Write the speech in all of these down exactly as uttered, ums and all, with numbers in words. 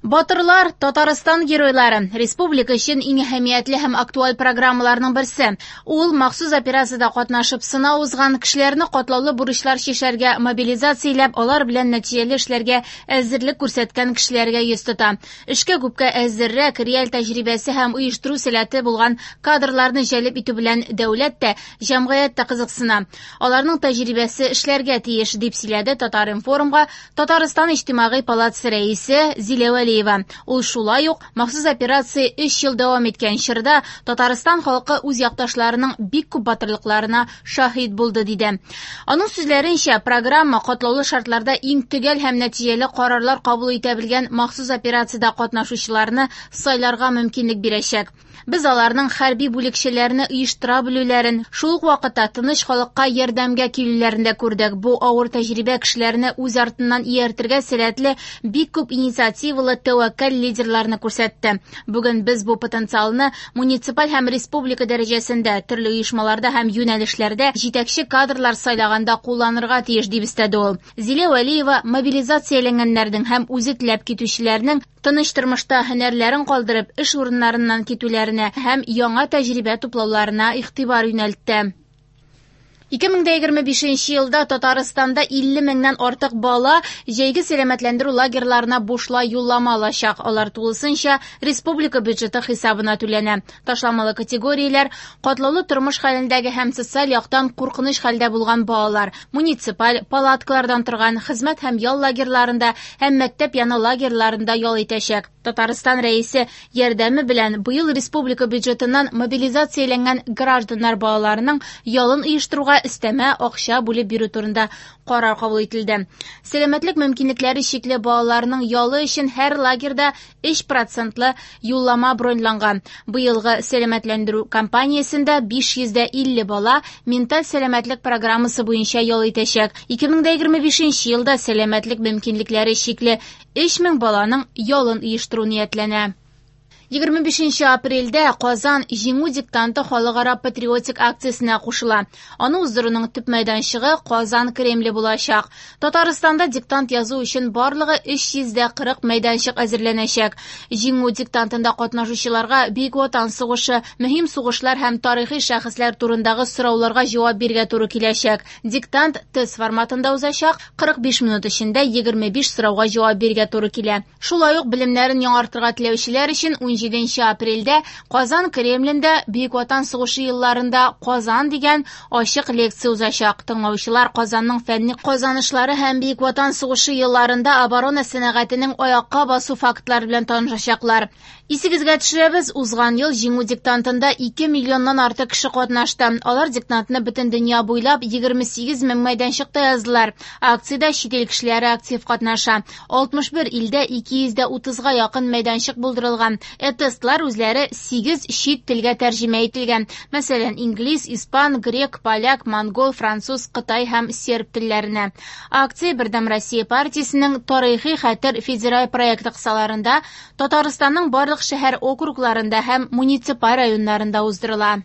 Батырлар – Татарстан геройлары. Республика өчен иң әһәмиятле һәм актуаль программаларның берсе. Ул махсус операциядә катнашып сынау узган кешеләрне катлаулы бурычлар чишәргә мобилизацияләп, алар белән нәтиҗәле эшләргә әзерлек күрсәткән кешеләргә йөз тота. Эшкә күпкә әзеррәк, реаль тәҗрибәсе һәм оештыру сәләте булган кадрларны җәлеп итү белән дәүләт тә, җәмгыять тә кызыксына. Аларның тәҗрибәсе эшләргә тиеш, дип сөйләде Татар-информга Татарстан Иҗтимагый палатасы рәисе Зилә Вәлиева. Ул шулай ук махсус операция өч ел дәвам иткән чорда Татарстан халкы үз якташларының бик күп батырлыкларына шаһит булды, диде. Аның сүзләренчә, программа катлаулы шартларда иң төгәл һәм нәтиҗәле карарлар кабул итә белгән махсус операциядә катнашучыларны сайларга мөмкинлек бирәчәк. Без аларның хәрби бүлекчәләрне оештыра белүләрен, шул ук вакытта тыныч халыкка ярдәмгә килүләрен дә күрдек. Бу авыр тәҗрибә кешеләрне үз артыннан ияртергә сәләтле бик күп инициативалы тәвәккәл лидерларны күрсәтте. Бүген без бу потенциалны муниципаль һәм республика дәрәҗәсендә, төрле оешмаларда һәм юнәлешләрдә җитәкче кадрлар сайлаганда кулланырга тиеш, дип өстәде ул. Зилә Вәлиева мобилизацияләнгәннәрнең һәм үзе теләп китүчеләрнең тыныч тормышта һөнәрләрен калдырып, эш урыннарыннан китүләренә һәм яңа тәҗрибә туплауларына игътибар юнәлтте. ике мең дә егерме бишенче елда Татарстанда илле меңнән артык бала җәйге сәламәтләндерү лагерьларына бушлай юллама алачак. Алар тулысынча республика бюджеты хисабына түләнә. Ташламалы категорияләр катлаулы тормыш хәлендәге һәм социаль яктан куркыныч хәлдә булган балалар, муниципаль палаткалардан торган хезмәт һәм ял лагерьларында һәм мәктәп яны лагерьларында ял итәчәк. Татарстан рәисе ярдәме белән быел республика бюджетыннан мобилизацияләнгән гражданнар балаларының ялын оештыруга өстәмә акча бүлеп бирү турында карар кабул ителде. Сәламәтлек мөмкинлекләре чикле балаларның ялы өчен һәр лагерьда өч процентлы юллама броньланган. Быелгы сәламәтләндерү кампаниясендә биш йөз дә илле бала менталь сәламәтлек программасы буенча ял итәчәк. ике мең дә егерме бишенче елда сәламәтлек мөмкинлекләре чикле өч мең баланың ялын оештыру ниятләнә. Егерме бишенче апрельдә Казан Җиңү диктанты халыкара патриотик акциясенә кушыла. Аны уздыруның төп мәйданчыгы Казан Кремле булачак. Татарстанда диктант язу өчен барлыгы өч йөз дә кырык мәйданчык әзерләнәчәк. Җиңү диктантында катнашучыларга Бөек Ватан сугышы, мөһим сугышлар һәм тарихи шәхесләр турындагы сорауларга җавап бирергә туры киләчәк. Диктант тест форматында узачак, кырык биш минут эчендә егерме биш сорауга җавап бирергә туры килә. Шулай ук белемнәрен яңартырга теләүчеләр өчен ун җиденче апрельдә Казан Кремлендә Бөек Ватан сугышы елларында Казан дигән ачык лекция узачак. Тыңлаучылар Казанның фәнни казанышлары һәм Бөек Ватан сугышы елларында оборона сәнәгатенең аякка басу фактлары белән танышачаклар. Исегезгә төшерәбез, узган ел Җиңү диктантында ике миллионнан артык кеше катнашты. Алар диктантны бөтен дөнья буйлап егерме сигез мең мәйданчыкта яздылар. Акциядә чит ил кешеләре актив катнаша. Алтмыш бер илдә ике йөз дә утызга якын мәйданчык булдырылган. Ә тестлар үзләре сигез чит телгә тәрҗемә ителгән. Мәсәлән, инглиз, испан, грек, поляк, монгол, француз, кытай һәм серб телләренә. Акция Бердәм Россия партиясенең Тарихи хәтер федераль проекты кысаларында Татарстанның барлык шәһәр округларында һәм муниципаль районнарында уздырыла.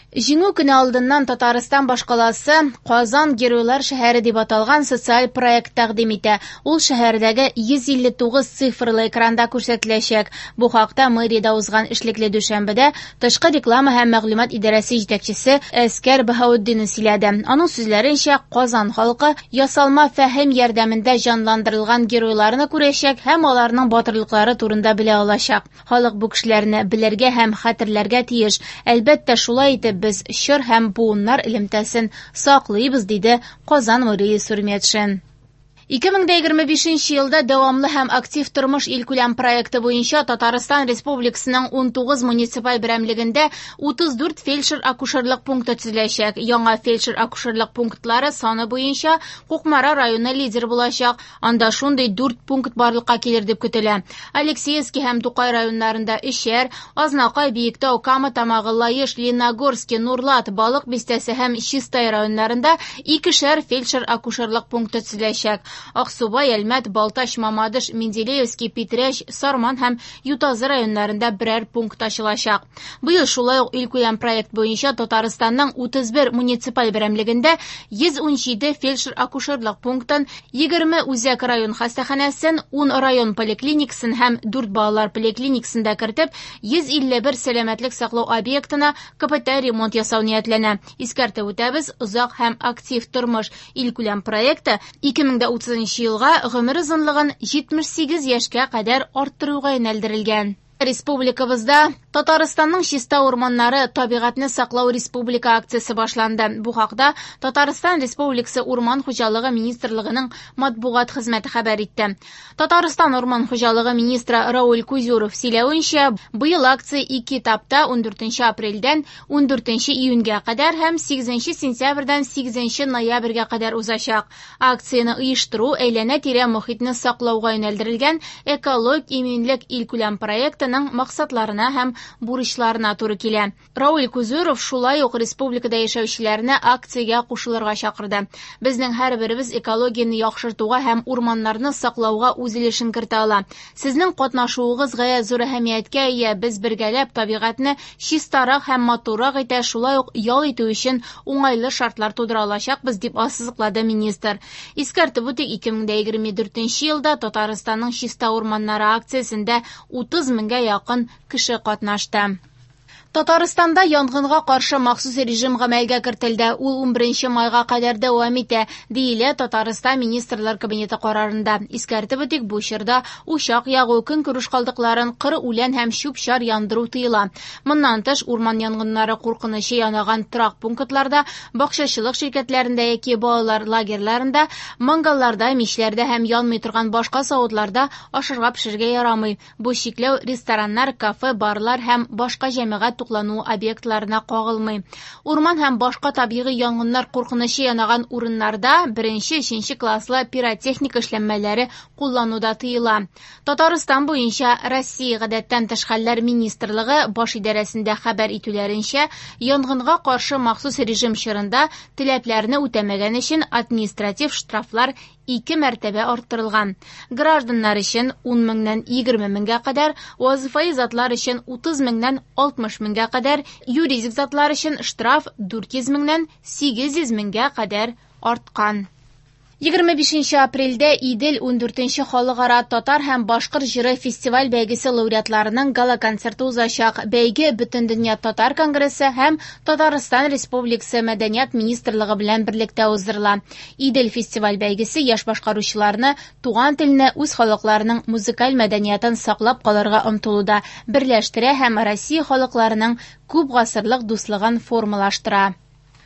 Җиңү көне алдыннан Татарстан башкаласы Казан Геройлар шәһәре дип аталган социаль проект тәкъдим итә. Ул шәһәрдәге йөз илле тугыз цифрлы экранда күрсәтеләчәк. Бу хакта мэриядә узган эшлекле дүшәмбедә тышкы реклама һәм мәгълүмат идарәсе җитәкчесе Әскәр Баһаутдинов сөйләде. Аның сүзләренчә, Казан халкы ясалма фәһем ярдәмендә җанландырылган геройларны күрәчәк һәм аларның батырлыклары турында белә алачак. Халык бу кешеләрне белергә һәм хәтерләргә тиеш. Әлбәттә, шулай итеп без чор һәм буыннар элемтәсен саклыйбыз, диде Казан мэры Илсур Метшин. Ике мең дә егерме бишенче елда дәвамлы һәм актив тормыш илкүләм проекты буенча Татарстан Республикасының ун тугыз муниципаль берәмлегендә утыз дүрт фельдшер-акушерлык пункты төзеләчәк. Яңа фельдшер-акушерлык пунктлары саны буенча Кукмара районы лидер булачак. Анда шундый дүрт пункт барлыкка килер дип көтелә. Алексеевский һәм Тукай районнарында өчәр, Азнакай, Биектау, Кама Тамагы, Лаеш, Лениногорский, Нурлат, Балык Бистәсе һәм Чистай районнарында икешәр фельдшер-акушерлык пункты төзеләчәк. Аксубай, Әлмәт, Балтач, Мамадыш, Менделеевский, Питрәч, Сарман һәм Ютазы районнарында берәр пункт ачылачак. Быел шулай ук илкүләм проект буенча Татарстанның утыз бер муниципаль берәмлегендә йөз ун җиде фельдшер-акушерлык пунктын, егерме үзәк район хастаханәсен, ун район поликлиникасын һәм дүрт балалар поликлиникасын да кертеп, йөз илле бер сәламәтлек саклау объектына капиталь ремонт ясау ниятләнә. Искәртеп үтәбез, озак һәм актив тормыш илкүләм проекты ике мең дә утызынчы елга гомер озынлыгын җитмеш сигез яшькә кадәр арттыруга юнәлдерелгән. Республикабызда Татарстанның чиста урманнары табигатьне саклау республика акциясе башланды. Бу хакта Татарстан Республикасы Урман хуҗалыгы министрлыгының матбугат хезмәте хәбәр итте. Татарстан Урман хуҗалыгы министры Рауль Кузюров сөйләвенчә, быел акция ике этапта ун дүртенче апрельдән ун дүртенче июньгә кадәр һәм сигезенче сентябрьдән сигезенче ноябрьгә кадәр узачак. Акцияне оештыру әйләнә-тирә мохитне саклауга юнәлдерелгән экологик иминлек илкүләм проекты максатларына һәм бурычларына туры килә. Рауль Кузюров шулай ук республикада яшәүчеләрне акциягә кушылырга чакырды. Безнең һәрберебез экологияне яхшыртуга һәм урманнарны саклауга үз өлешен кертә ала. Сезнең катнашуыгыз гаять зур әһәмияткә ия. Без бергәләп табигатьне чистарак һәм матуррак итә, шулай ук ял итү өчен уңайлы шартлар тудыра алачакбыз, дип ассызыклады министр. Искәртеп үтик, ике мең дә егерме дүртенче елда Татарстанның чиста урманнары акциясендә утыз меңгә якын кеше катнашты. Татарстанда янгынга каршы махсус режим гамәлгә кертелде. Ул ун беренче майга кадәр дәвам итә, диелә Татарстан Министрлар Кабинеты карарында. Искәртеп үтик, бу чорда учак ягу, көнкүреш калдыкларын, кыр үлән һәм чүп-чар яндыру тыела. Моннан тыш, урман янгыннары куркынычы янаган торак пунктларда, бакчачылык ширкәтләрендә яки балалар лагерьларында, мангалларда, мичләрдә һәм янмый торган башка савытларда ашарга пешерергә ярамый. Бу чикләү рестораннар, кафе, барлар һәм башка җәмәгать туклану объектларына кагылмый. Урман һәм башка табигый янгыннар куркынычы янаган урыннарда беренче, өченче класслы пиротехника эшләнмәләре куллануда тыела. Татарстан буенча Россия гадәттән тыш хәлләр министрлыгы баш идарәсендә хәбәр итүләренчә, янгынга каршы махсус режим чорында таләпләрне үтәмәгән өчен административ штрафлар ике мәртәбә арттырылган. Гражданнар өчен ун меңнән егерме меңгә кадәр, вазифаи затлар өчен утыз меңнән алтмыш меңгә кадәр, юридик затлар өчен штраф дүрт йөз меңнән сигез йөз меңгә кадәр арткан. Егерме бишенче апрельдә Идел ун дүртенче халыкара татар һәм башкорт җыры фестиваль бәйгесе лауреатларының гала-концерты узачак. Бәйге Бөтендөнья татар конгрессы һәм Татарстан Республикасы Мәдәният министрлыгы белән берлектә уздырыла. Идел фестиваль бәйгесе яшь башкаручыларны туган телне, үз халыкларының музыкаль мәдәниятын саклап калырга омтылуда берләштерә һәм Россия халыкларының күп гасырлык дуслыгын формалаштыра.